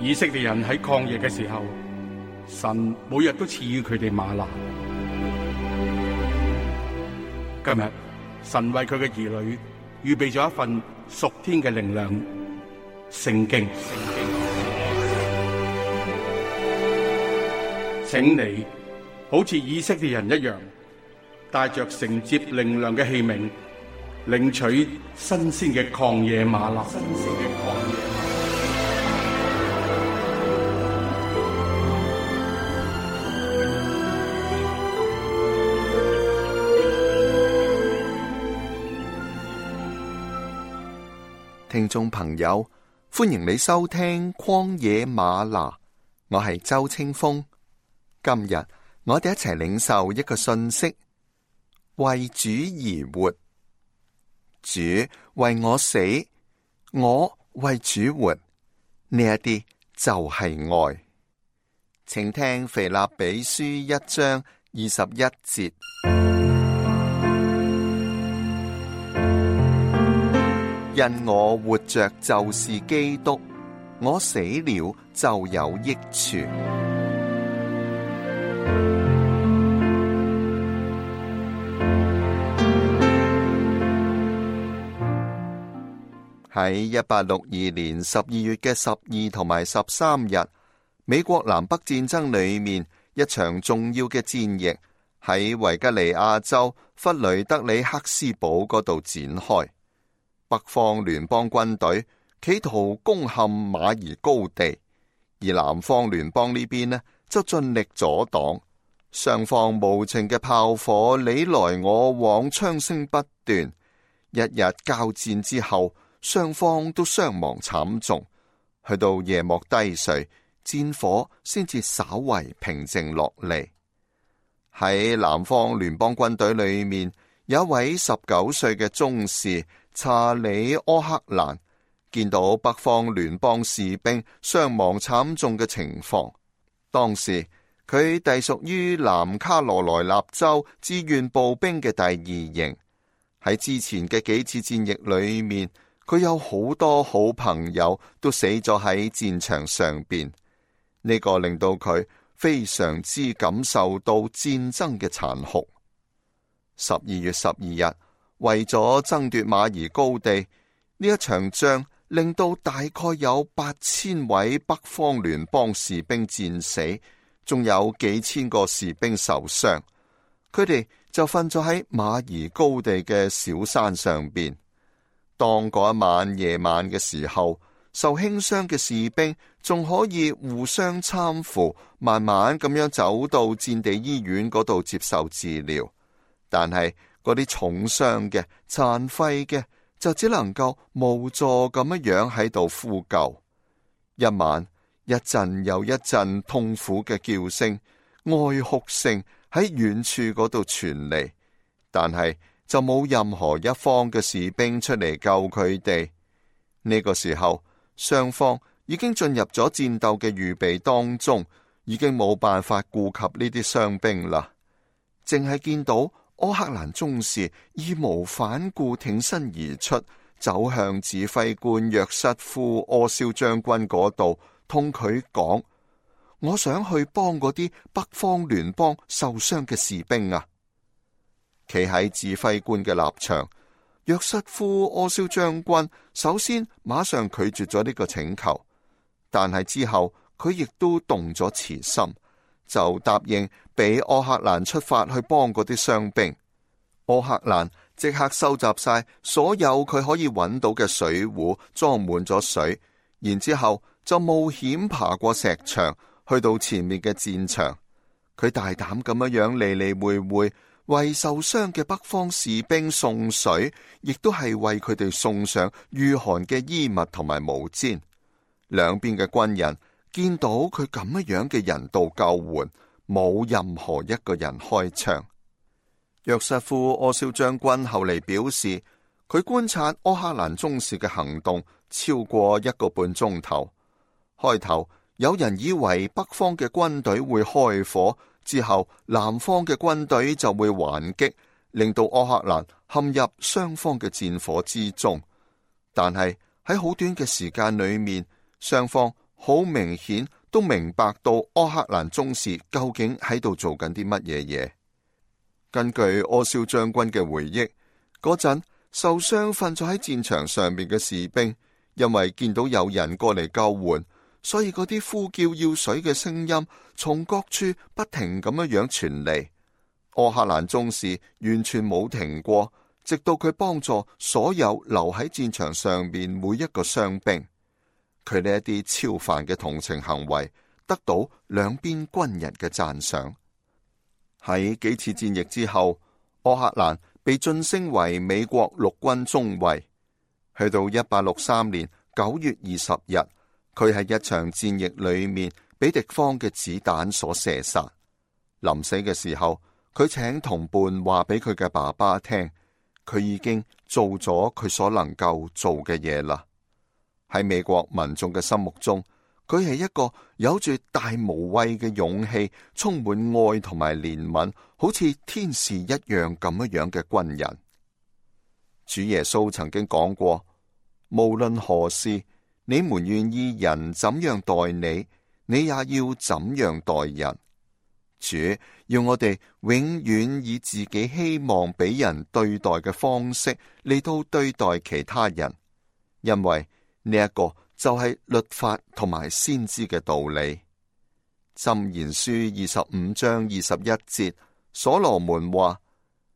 以色列人喺曠野嘅時候，神每日都賜予佢哋嗎哪。今日神為佢嘅兒女預備咗一份屬天嘅靈糧——聖經。請你好似以色列人一樣，帶着承接靈糧嘅器皿，領取新鮮嘅曠野嗎哪。聽眾朋友，歡迎你收聽曠野嗎哪，我係周清風。今日我哋一齊領受一個信息：為主而活。主為我死，我為主活，呢一啲就係愛。請聽腓立比書1章21節。因我活着就是基督，我死了就有益處。喺1862年12月嘅12同埋13日，美國南北戰爭裏面一場重要嘅戰役喺維吉尼亞州弗雷德里克斯堡嗰度展開。北方聯邦軍隊企圖攻陷馬兒高地，而南方聯邦呢邊呢就盡力阻擋。雙方無情嘅炮火你來我往，槍聲不斷。一日交戰之後，雙方都傷亡慘重。去到夜幕低垂，戰火先至稍為平靜落嚟。喺南方聯邦軍隊裏面，有一位19歲嘅中士查理·柯克蘭，見到北方聯邦士兵傷亡慘重嘅情況。當時佢隸屬於南卡羅來納州志願步兵嘅第2營。喺之前嘅幾次戰役裏面，佢有好多好朋友都死咗喺戰場上邊。呢個令到佢非常之感受到戰爭嘅殘酷。12月12日，為咗爭奪馬兒高地，呢一場仗令到大概有8000位北方聯邦士兵戰死，仲有幾千個士兵受傷。佢哋就瞓咗喺馬兒高地嘅小山上邊。當嗰一晚夜晚嘅時候，受輕傷嘅士兵仲可以互相攙扶，慢慢咁樣走到戰地醫院嗰度接受治療。但係嗰啲重傷嘅、殘廢嘅，就只能夠無助咁樣喺度呼救。一晚一陣又一陣痛苦嘅叫聲、哀哭聲喺遠處嗰度傳嚟，但係就冇任何一方嘅士兵出嚟救佢哋。呢個時候，雙方已經進入咗戰鬥嘅預備當中，已經冇辦法顧及呢啲傷兵啦。淨係見到柯克蘭中士義無反顧挺身而出，走向指揮官約瑟夫·柯肖將軍嗰度，同佢講：我想去幫嗰啲北方聯邦受傷嘅士兵啊！企喺指揮官嘅立場，約瑟夫·柯肖將軍首先馬上拒絕咗呢個請求，但係之後佢亦都動咗慈心，就答應俾柯克蘭出發去幫嗰啲傷兵。柯克蘭即刻收集晒所有佢可以揾到嘅水壺，裝滿咗水，然之後就冒險爬過石牆，去到前面嘅戰場。佢大膽咁樣嚟嚟回回，為受傷嘅北方士兵送水，亦都係為佢哋送上御寒嘅衣物同埋毛氈。兩邊嘅軍人見到佢咁樣嘅人道救援，冇任何一個人開槍。約瑟夫·柯肖將軍後嚟表示，佢觀察柯克蘭中士嘅行動超過1個半鐘頭。開頭有人以為北方嘅軍隊會開火，之後南方嘅軍隊就會還擊，令到柯克蘭陷入雙方嘅戰火之中。但係喺好短嘅時間裏面，雙方好明顯都明白到柯克蘭中士究竟喺度做緊啲乜嘢嘢。根據柯蕭將軍嘅回憶，嗰陣受傷瞓咗喺戰場上面嘅士兵，因為見到有人過嚟救援，所以嗰啲呼叫要水嘅聲音從各處不停咁樣傳嚟。柯克蘭中士完全冇停過，直到佢幫助所有留喺戰場上面每一個傷兵。佢呢一啲超凡嘅同情行為，得到兩邊軍人嘅讚賞。喺幾次戰役之後，柯克蘭被晉升為美國陸軍中尉。去到1863年9月20日，佢喺一場戰役裏面俾敵方嘅子彈所射殺。臨死嘅時候，佢請同伴話俾佢嘅爸爸聽，佢已經做咗佢所能夠做嘅嘢啦。喺美國民眾嘅心目中，佢係一個有住大無畏嘅勇氣，充滿愛同埋憐憫，好似天使一樣咁樣嘅軍人。主耶穌曾經講過，無論何事，你們願意人怎樣待你，你也要怎樣待人。主要我哋永遠以自己希望俾人對待嘅方式嚟到對待其他人，因為呢一個就係律法同埋先知嘅道理。箴言書25章21節，所羅門話：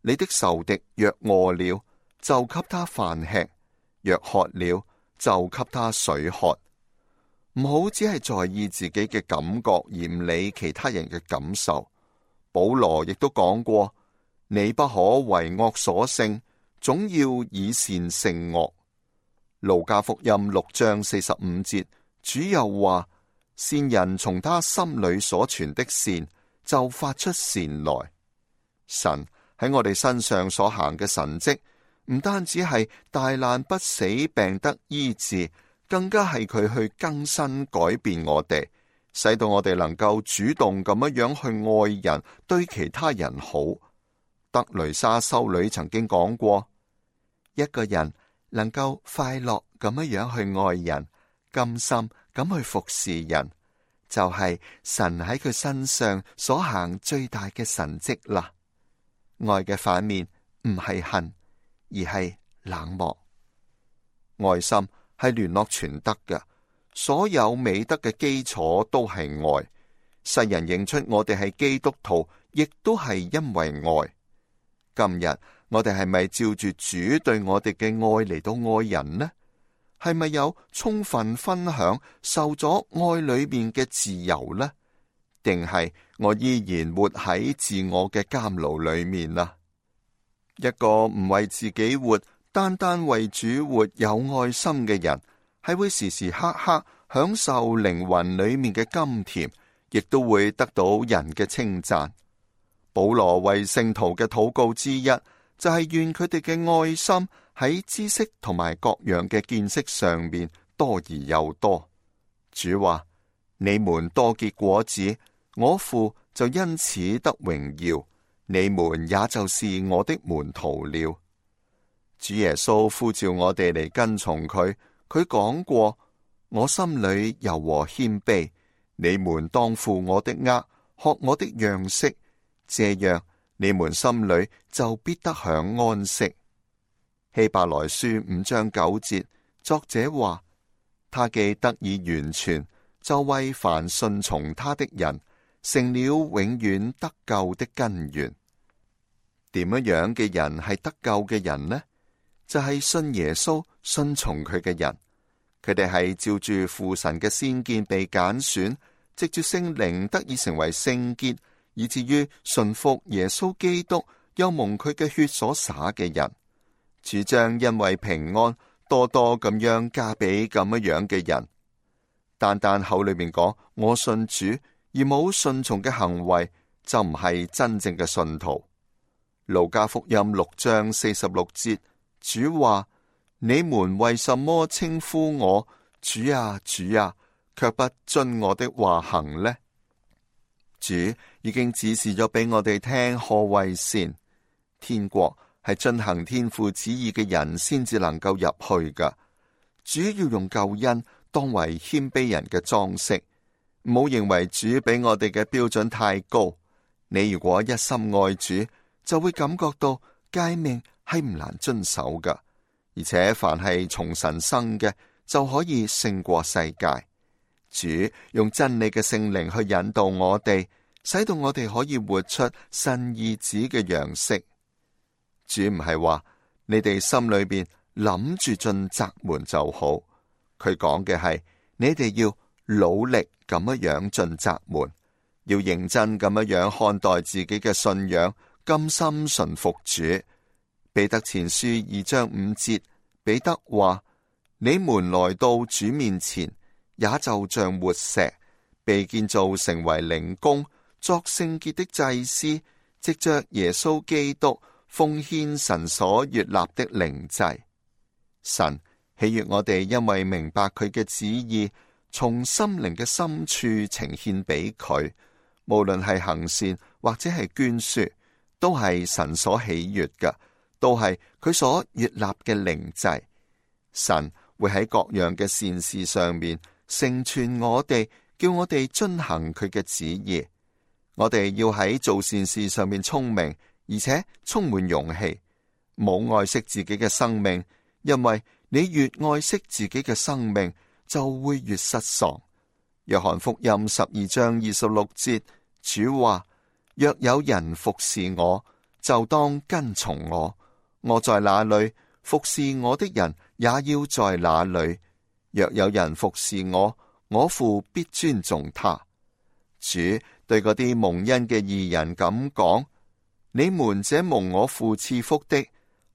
你的仇敵若餓了，就給他飯吃；若渴了，就給他水喝。唔好只係在意自己嘅感覺，而唔理其他人嘅感受。保羅亦都講過：你不可為惡所勝，總要以善勝惡。路加福音6章45節，主又話：善人從他心裏所存的善，就發出善來。神喺我哋身上所行嘅神蹟，唔單止係大難不死、病得醫治，更加係佢去更新改變我哋，使到我哋能夠主動咁樣去愛人，對其他人好。德雷莎修女曾經講過，一個人能夠快樂咁樣去愛人，甘心咁去服侍人，就係神喺佢身上所行最大嘅神蹟啦。愛嘅反面唔係恨，而係冷漠。愛心係聯絡全德嘅，所有美德嘅基礎都係愛。世人認出我哋係基督徒，亦都係因為愛。今日我哋係咪照住主對我哋嘅愛嚟到愛人呢？係咪有充分分享受咗愛裏面嘅自由呢？定係我依然活喺自我嘅監牢裏面啊？一個唔為自己活，單單為主活有愛心嘅人，係會時時刻刻享受靈魂裏面嘅甘甜，亦都會得到人嘅稱讚。保羅為聖徒嘅禱告之一，就係願佢哋嘅愛心喺知識同埋各樣嘅見識上面多而又多。主話：你們多結果子，我父就因此得榮耀，你們也就是我的門徒了。主耶穌呼召我哋嚟跟從佢，佢講過：我心裏柔和謙卑，你們當負我的軛，學我的樣式，這樣你們心裏就必得享安息。希伯來書5章9節，作者話：他既得以完全，就為凡順從他的人，成了永遠得救的根源。點樣嘅人係得救嘅人呢？就係信耶穌、信從佢嘅人。佢哋係照住父神嘅先見被揀選，藉住聖靈得以成為聖潔，以至於順服耶穌基督，又蒙佢嘅血所灑嘅人。主將因為平安多多咁樣加俾咁樣嘅人。單單口裏面講我信主，而冇順從嘅行為，就唔係真正嘅信徒。路加福音6章46節，主話：你們為什麼稱呼我主啊主啊，卻不遵我的話行呢？主已經指示咗俾我哋聽何為善。天國係遵行天父旨意嘅人先至能夠入去噶。主要用救恩當為謙卑人嘅裝飾。唔好認為主比我哋嘅標準太高。你如果一心愛主，就會感覺到誡命係唔難遵守噶，而且凡係從神生嘅，就可以勝過世界。主用真理嘅聖靈去引導我哋，使到我哋可以活出神兒子嘅樣式。主唔係話你哋心裏邊諗住進窄門就好，佢講嘅係你哋要努力咁樣進窄門，要認真咁樣看待自己嘅信仰，甘心順服主。彼得前書2章5節，彼得話：你們來到主面前，也就像活石，被建造成為靈宮，作聖潔的祭司，藉着耶穌基督奉獻神所悅納的靈祭。神喜悅我哋，因為明白佢嘅旨意，從心靈嘅深處呈獻俾佢，無論係行善或者係捐輸，都係神所喜悅嘅，都係佢所悅納嘅靈祭。神會喺各樣嘅善事上面成全我哋，叫我哋遵行佢嘅旨意。我哋要喺做善事上面聰明，而且充滿勇氣，冇愛惜自己嘅生命，因為你越愛惜自己嘅生命，就會越失喪。約翰福音12章26節，主話：若有人服侍我，就當跟從我，我在哪裏，服侍我的人也要在哪裏。若有人服侍我，我父必尊重他。主對嗰啲蒙恩嘅義人咁講：你們這蒙我父賜福的，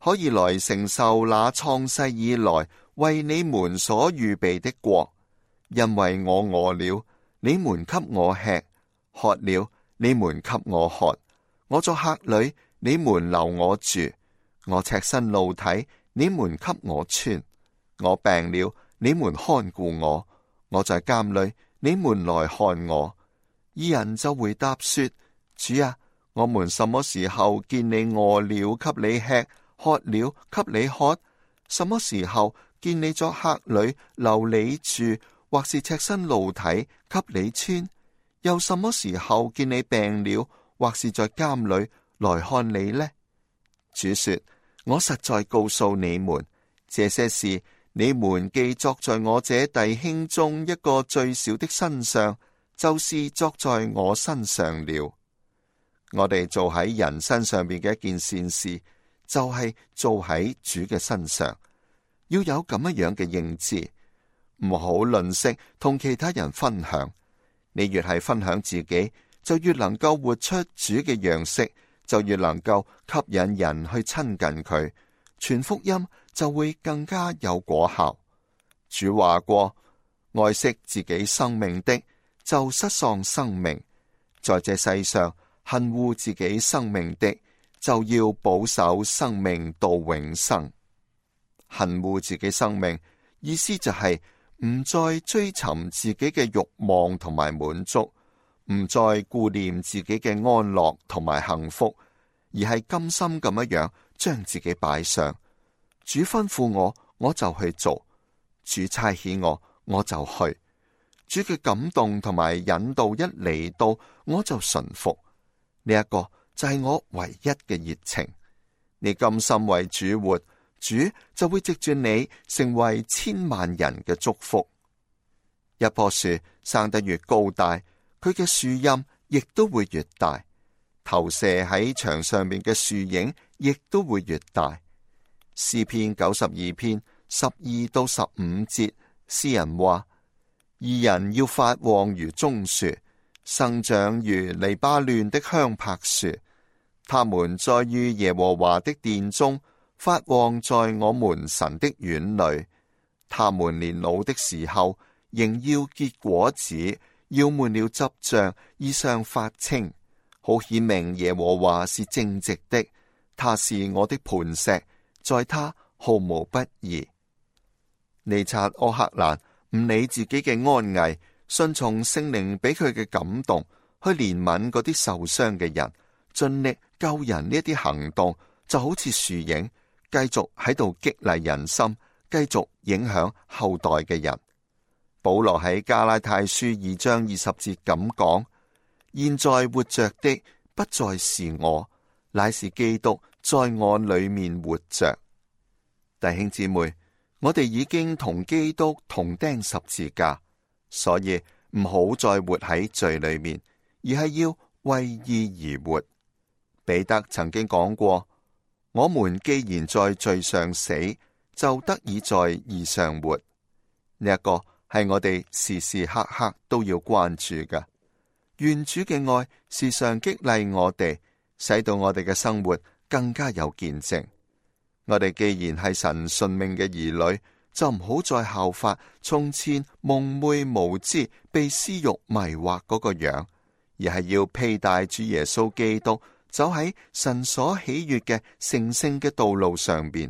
可以來承受那創世以來為你們所預備的國，因為我餓了，你們給我吃；渴了，你們給我喝；我作客旅，你們留我住；我赤身露體，你們給我穿；我病了，你們看顧我；我在監裏，你們來看我。義人就回答說：主啊，我們什麼時候見你餓了給你吃，渴了給你喝？什麼時候見你作客旅留你住，或是赤身露體給你穿？又什麼時候見你病了，或是在監裏來看你呢？主說：我實在告訴你們，這些事你們既作在我這弟兄中一個最小的身上，就是作在我身上了。我哋做喺人身上邊嘅一件善事，就係做喺主嘅身上。要有咁樣嘅認知，唔好吝嗇同其他人分享。你越係分享自己，就越能夠活出主嘅樣式，就越能夠吸引人去親近佢，傳福音就會更加有果效。主話過：愛惜自己生命的，就失喪生命；在這世上恨惡自己生命的，就要保守生命到永生。恨惡自己生命，意思就係唔再追尋自己嘅慾望同埋滿足，唔再顧念自己嘅安樂同埋幸福，而係甘心咁樣將自己擺上。主吩咐我，我就去做；主差遣我，我就去。主嘅感動同埋引導一嚟到，我就順服。呢一個就係我唯一嘅熱情。你甘心為主活，主就會藉住你成為千萬人嘅祝福。一棵樹生得越高大，佢嘅樹蔭亦都會越大，投射喺牆上面嘅樹影亦都會越大。詩篇92篇12到15節，詩人話：義人要發旺如棕樹，生長如黎巴嫩的香柏樹。他們栽於耶和華的殿中，發旺在我們神的院裏。他們年老的時候，仍要結果子，要滿了汁漿，衣裳發青，好顯明耶和華是正直的。他是我的磐石，在他毫無不義。尼察柯克蘭唔理自己嘅安危，順從聖靈俾佢嘅感動，去憐憫嗰啲受傷嘅人，盡力救人。呢一啲行動就好似樹影，繼續喺度激勵人心，繼續影響後代嘅人。保羅喺加拉太書2章20節咁講：現在活着的不再是我，乃是基督在我裏面活着。弟兄姊妹，我哋已經同基督同釘十字架，所以唔好再活喺罪裏面，而係要為義而活。彼得曾經講過：我們既然在罪上死，就得以在義上活。呢一個係我哋時時刻刻都要關注嘅。願主嘅愛時常激勵我哋，使到我哋嘅生活更加有見證。我哋既然係神順命嘅兒女，就唔好再效法從前蒙昧無知、被私欲迷惑嗰個樣，而係要披戴主耶穌基督，走喺神所喜悅嘅成聖嘅道路上邊。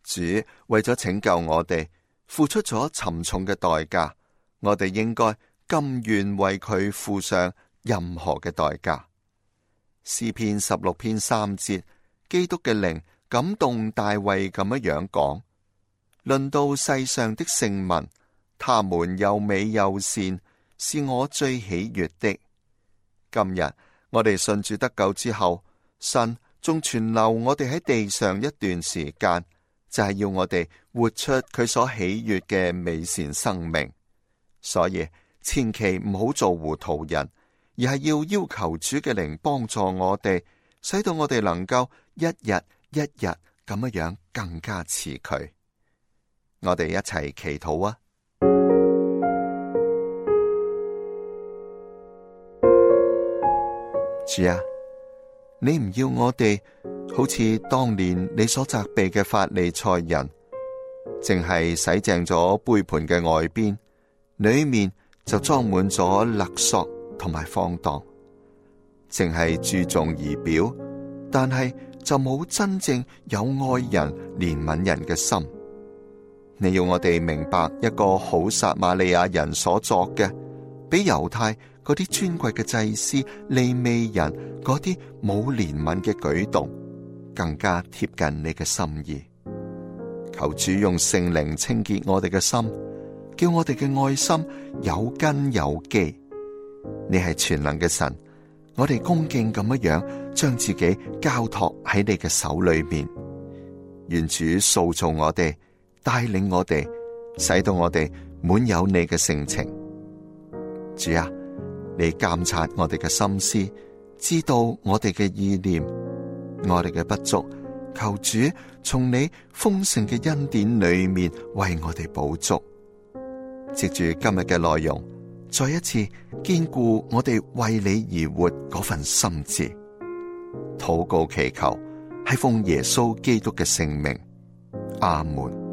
主為咗拯救我哋，付出咗沉重嘅代價，我哋應該甘願為佢付上任何嘅代價。詩篇16篇3節，基督嘅靈感動大衛咁樣講：論到世上的聖民，他們又美又善，是我最喜悅的。今日我哋信主得救之後，神仲存留我哋喺地上一段時間，就係要我哋活出佢所喜悅嘅美善生命。所以千祈唔好做糊塗人，而係要求主嘅靈幫助我哋，使到我哋能夠一日一日咁樣更加似佢。我哋一齊祈禱啊！主啊，你唔要我哋好似當年你所責備嘅法利賽人，淨係洗淨咗杯盤嘅外邊，裏面就裝滿咗勒索同埋放蕩，淨係注重儀表，但係就冇真正有愛人憐憫人嘅心。你要我哋明白一個好撒瑪利亞人所作嘅，比猶太嗰啲尊貴嘅祭司、利未人嗰啲冇憐憫嘅舉動更加貼近你嘅心意。求主用聖靈清潔我哋嘅心，叫我哋嘅愛心有根有基。你係全能嘅神，我哋恭敬咁樣將自己交託喺你嘅手裏面。願主塑造我哋，帶領我哋，使到我哋滿有你嘅性情。主啊，你監察我哋嘅心思，知道我哋嘅意念，我哋嘅不足，求主從你豐盛嘅恩典裏面為我哋補足。藉住今日嘅內容，再一次堅固我哋為你而活嗰份心志。禱告祈求係奉耶穌基督嘅聖名，阿門。